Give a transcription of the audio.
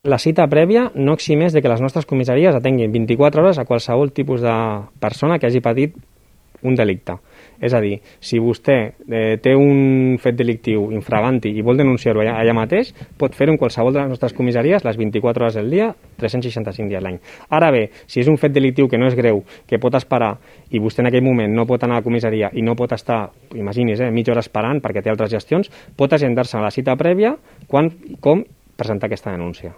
La cita prèvia no eximeix de que les nostres comissaries atenguin 24 hores a qualsevol tipus de persona que hagi patit un delicte. És a dir, si vostè té un fet delictiu infraganti i vol denunciar-ho allà mateix, pot fer-ho en qualsevol de les nostres comissaries les 24 hores del dia, 365 dies l'any. Ara bé, si és un fet delictiu que no és greu, que pot esperar, i vostè en aquell moment no pot anar a la comissaria i no pot estar, imagini's, mitja hora esperant perquè té altres gestions, pot agendar-se a la cita prèvia com presentar aquesta denúncia.